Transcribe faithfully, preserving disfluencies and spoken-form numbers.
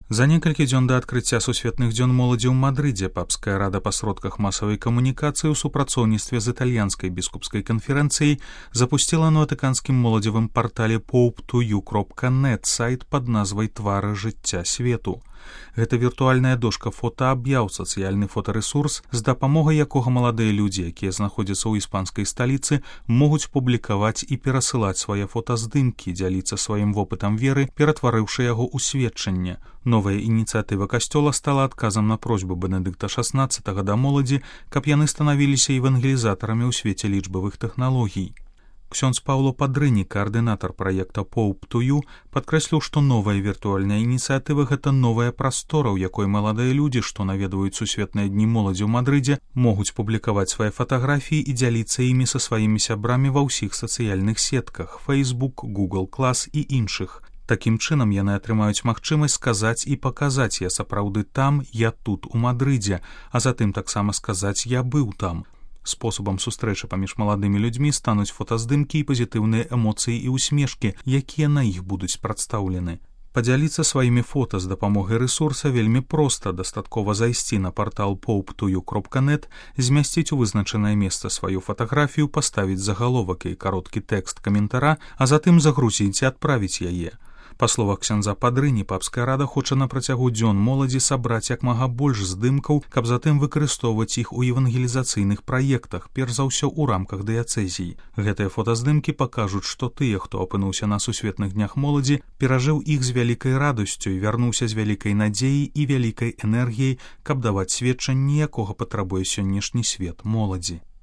За некалькі дзён да адкрыцця сусветных дзён моладзі ў Мадрыдзе папская рада па сродках масавай камунікацыі ў супрацоўніцтве з італьянскай біскупскай канферэнцыяй запусціла на ватыканскім моладзевым партале поуп ту ю кропка нет сайт пад назвай «Твары жыцця свету». Гэта віртуальная дошка фотааб'яў, сацыяльны фотарэсурс, з дапамогай якога маладыя людзі, якія знаходзяцца ў іспанскай сталіцы, могуць публікаваць і перасылаць свае фотаздымкі, дзяліцца сваім вопытам веры, ператварыўшы яго ў сведчанне. Новая ініцыятыва касцёла стала адказам на просьбу Бенедыкта шаснаццатага да моладзі, каб яны станавіліся евангелізатарамі ў свеце лічбавых тэхналогій. Ксёндз Паўло Падрыні, каардынатар праекта поуп ту ю, падкрэсліў, што новая віртуальная ініцыятыва — гэта новая прастора, у якой маладыя людзі, што наведваюць сусветныя дні моладзі ў Мадрыдзе, могуць публікаваць свае фатаграфіі і дзяліцца імі са сваімі сябрамі ва ўсіх сацыяльных сетках — Facebook, Google Class і іншых. Такім чынам яны атрымаюць магчымасць сказаць і паказаць: «Я сапраўды там, я тут, у Мадрыдзе», а затым таксама сказаць: «Я быў там». Спосабам сустрэчы паміж маладымі людзьмі стануць фотаздымкі і пазітыўныя эмоцыі і ўсмешкі, якія на іх будуць прадстаўлены. Падзяліцца сваімі фота з дапамогай рэсурса вельмі проста. Дастаткова зайсці на партал поуп ту ю кропка нет, змясціць у вызначанае месца сваю фатаграфію, паставіць загаловак і кароткі тэкст каментара, а затым загрузіць і адправіць яе. Па словах ксяндза Падрыні, папская рада хоча на працягу дзён моладзі сабраць як мага больш здымкаў, каб затым выкарыстоўваць іх у евангелізацыйных праектах, перш за ўсё ў рамках дыяцэзій. Гэтыя фотаздымкі пакажуць, што тыя, хто апынуўся на сусветных днях моладзі, перажыў іх з вялікай радасцю і вярнуўся з вялікай надзеяй і вялікай энергіяй, каб даваць сведчанне, якога патрабуе сённяшні свет моладзі.